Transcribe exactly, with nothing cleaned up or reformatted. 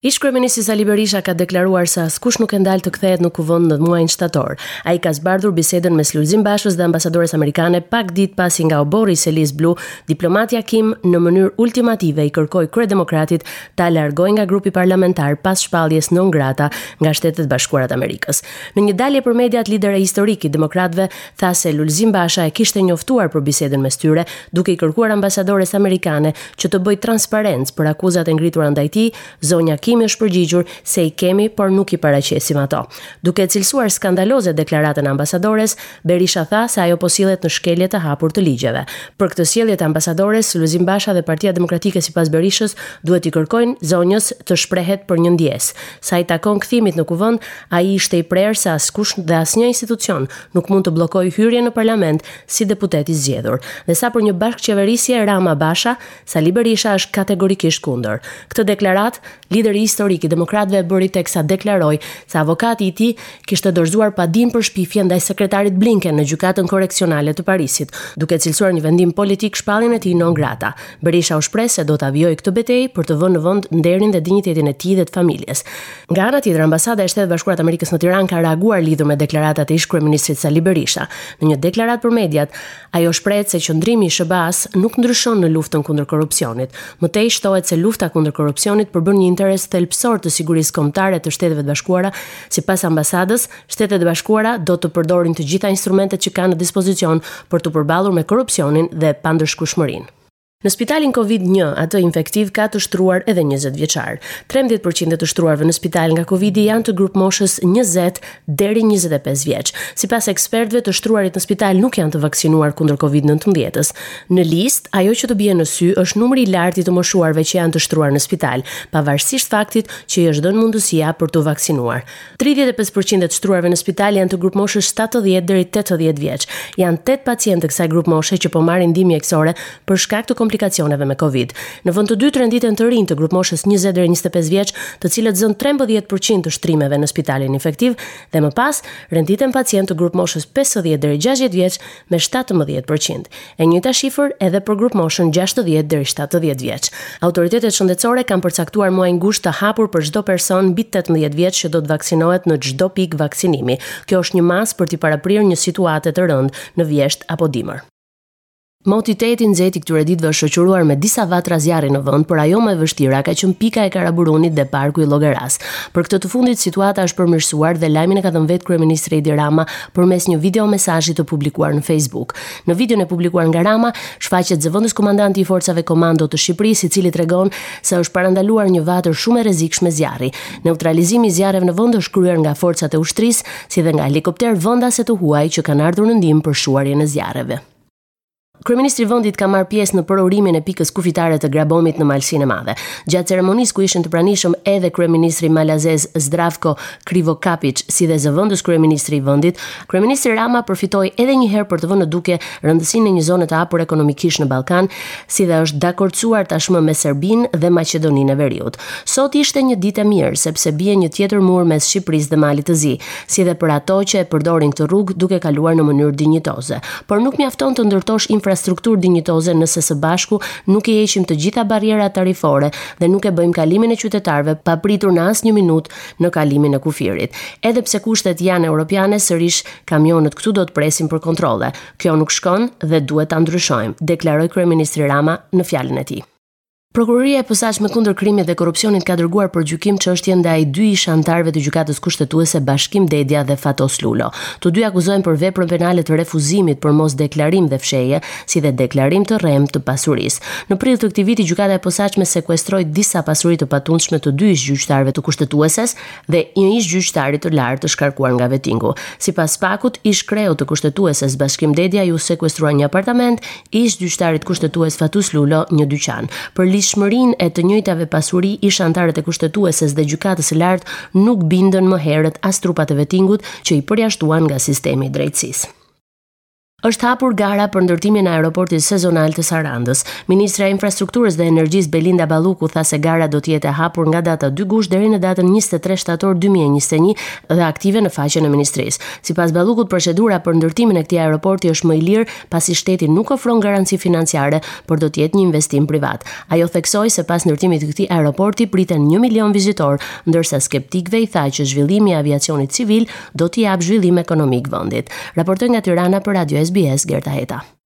Ish-kryeministri Sali Berisha ka deklaruar se askush nuk e ndal të kthehet në Kuvend në muajin shtator. Ai ka zbardhur bisedën mes Lulzim Bashës dhe ambasadores amerikane pak ditë pasi nga oborri i selisë blu, diplomatja Kim në mënyrë ultimative i kërkoi kryedemokratit ta largojë nga grupi parlamentar pas shpalljes non grata nga Shtetet e Bashkuara të Amerikës. Në një dalje për mediat, lideri historik i demokratëve tha se Lulzim Basha e kishte njoftuar për bisedën mes tyre, duke i kërkuar ambasadores amerikane që të bëjë transparencë për akuzat e ngritura ndaj tij. Zonja Kim është përgjigjur se i kemi, por nuk i paraqesim ato. Duke e cilësuar skandaloze deklaratën e ambasadores, Berisha tha se ajo po sillet në shkelje të hapur të ligjeve. Për këtë sjellje të ambasadores, Lulzim Basha dhe Partia Demokratike, sipas Berishës, duhet i kërkojnë zonjës të shprehet për një ndjesë. Sa i takon kthimit në Kuvend, ai ishte i prerë se askush dhe asnjë institucion nuk mund të bllokojë hyrjen në parlament si deputet i zgjedhur. Dhe sa për një bashkëqeverisje Rama Basha, Sali Berisha është kategorikisht kundër. Këtë deklaratë, lideri historik i demokratëve e bëri teksa deklaroi se avokati i tij kishte dorëzuar padin për shpifje ndaj sekretarit Blinken në gjykatën korreksionale të Parisit, duke cilësuar një vendim politik shpalljen e tij non grata. Berisha u shpreh se do ta vijojë këtë betejë për të vënë në vend nderin dhe dinjitetin e tij dhe të familjes. Nga ana tjetër, ambasada e Shteteve të Bashkuara të Amerikës në Tiranë ka reaguar lidhur me deklaratat e ish-kryeministrit Sali Berisha. Në një deklaratë për mediat, ajo shprehet se qëndrimi i S H B A-s nuk ndryshon në luftën kundër korrupsionit. Më tej shtohet se lufta kundër korrupsionit përbën një interes thelbësor të sigurisë kombëtare të Shteteve të Bashkuara. Sipas ambasadës, Shtetet e Bashkuara do të përdorin të gjitha instrumentet që kanë në dispozicion për t'u përballur me korrupsionin dhe pandëshkueshmërinë. Në spitalin Covid një, atë infektiv, ka të shtruar edhe njëzet vjeçar. trembëdhjetë përqind e të shtruarve në spital nga Covidi janë të grup moshës njëzet deri njëzet e pesë vjeç. Sipas ekspertëve, të shtruarit në spital nuk janë të vaksinuar kundër Covid nëntëmbëdhjetës. Në listë, ajo që të bie në sy është numri i lartë i të moshuarve që janë të shtruar në spital, pavarësisht faktit që i është dhënë mundësia për t'u vaksinuar. tridhjetë e pesë përqind e të shtruarve në spital janë të grup moshës shtatëdhjetë deri tetëdhjetë vjeç. Janë tetë pacientë të kësaj grup moshe që po marrin ndihmë mjekësore për shkak të komplikacioneve me Covid. Në vend të dytë renditen të rinj të grup moshës njëzet deri njëzet e pesë vjeç, të cilët zënë trembëdhjetë përqind të shtrimeve në spitalin infektiv dhe më pas renditen pacientë të grup moshës pesëdhjetë deri gjashtëdhjetë vjeç me shtatëmbëdhjetë përqind. E njëjta shifër edhe për grup moshën gjashtëdhjetë deri shtatëdhjetë vjeç. Autoritetet shëndetësore kanë përcaktuar muajin gusht të hapur për çdo person mbi tetëmbëdhjetë vjeç që do të vaksinohet në çdo pikë vaksinimi. Kjo është një masë për t'i paraprirë një situate të rëndë në vjeshtë apo dimër. Moti tetë i nxehtë i këtyre ditëve është shoqëruar me disa vatra zjarri në vend, por ajo më e vështira ka qenë pika e Karaburunit dhe parku i Llogaras. Për këtë të fundit situata është përmirësuar dhe lajmin e ka dhënë vetë kryeministri Edi Rama përmes një videomesazhi të publikuar në Facebook. Në videon e publikuar nga Rama shfaqet zëvendës komandanti i forcave komando të Shqipërisë, i cili tregon se është parandaluar një vatër shumë e rrezikshme zjarri. Neutralizimi i zjarreve në vend është kryer nga forcat e ushtrisë, si dhe nga helikopterë vendase të huaj që kanë ardhur në ndihmë për shuarjen e zjarreve. Kryeministri i vendit ka marrë pjesë në përurimin e pikës kufitare të Grabomit në Malësinë e Madhe. Gjatë ceremonisë, ku ishin të pranishëm edhe kryeministri malazez Zdravko Krivokapic, si dhe zëvendës kryeministri i vendit, kryeministri Rama përfitoi edhe një herë për të vënë në dukje rëndësinë e një zone të hapur ekonomikisht në Ballkan, si dhe është dakordsuar tashmë me Serbinë dhe Maqedoninë e Veriut. Sot ishte një ditë e mirë sepse bie një tjetër mur mes Shqipërisë dhe Malit të Zi, si dhe për ato që e përdorin këtë rrugë duke kaluar në mënyrë dinjitoze. Por nuk mjafton të ndërtosh infrastrukturë dinjitoze nëse së bashku nuk i heqim të gjitha barrierat tarifore dhe nuk e bëjmë kalimin e qytetarëve pa pritur në asnjë minutë në kalimin e kufirit. Edhe pse kushtet janë europiane, sërish kamionët këtu do të presin për kontrolle. Kjo nuk shkon dhe duhet ta ndryshojmë, deklaroi kryeministri Rama në fjalën e tij. Prokuroria e Posaçme kundër Krimit dhe Korrupsionit ka dërguar për gjykim çështjen ndaj dy ish anëtarëve të Gjykatës Kushtetuese, Bashkim Dedja dhe Fatos Lulo. Të dy akuzohen për veprën penale të refuzimit për mos deklarim dhe fshehje, si dhe deklarim të rrem të pasurisë. Në prill të këtij viti Gjykata e Posaçme sekuestroi disa pasuri të patundshme të dy ish gjyqtarëve të Kushtetueses dhe një ish gjyqtari të lartë të shkarkuar nga vetingu. Sipas Pakut, ish kreu të Kushtetueses Bashkim Dedja ju sekuestrua një apartament, ish gjyqtarit kushtetues Fatos Lulo një dyqan. Për ligjshmërinë e të njëjtave pasuri, ish anëtarët e Kushtetueses dhe Gjykatës së Lartë nuk bindën më herët as trupat e vetingut që i përjashtuan nga sistemi i drejtësisë. Është hapur gara për ndërtimin e aeroportit sezonal të Sarandës. Ministra e Infrastrukturës dhe Energjisë Belinda Balluku tha se gara do të jetë e hapur nga data dy gusht deri në datën njëzet e tre shtator dy mijë e njëzet e një dhe aktive në faqen e ministrisë. Sipas Ballukut, procedura për ndërtimin e këtij aeroporti është më i lirë, pasi shteti nuk ofron garanci financiare, por do të jetë një investim privat. Ajo theksoi se pas ndërtimit të këtij aeroporti priten një milion vizitor, ndërsa skeptikëve i tha që zhvillimi i aviacionit civil do t'i japë zhvillim ekonomik vendit. Raportoi nga Tirana për Radio S B S Gerta Heta.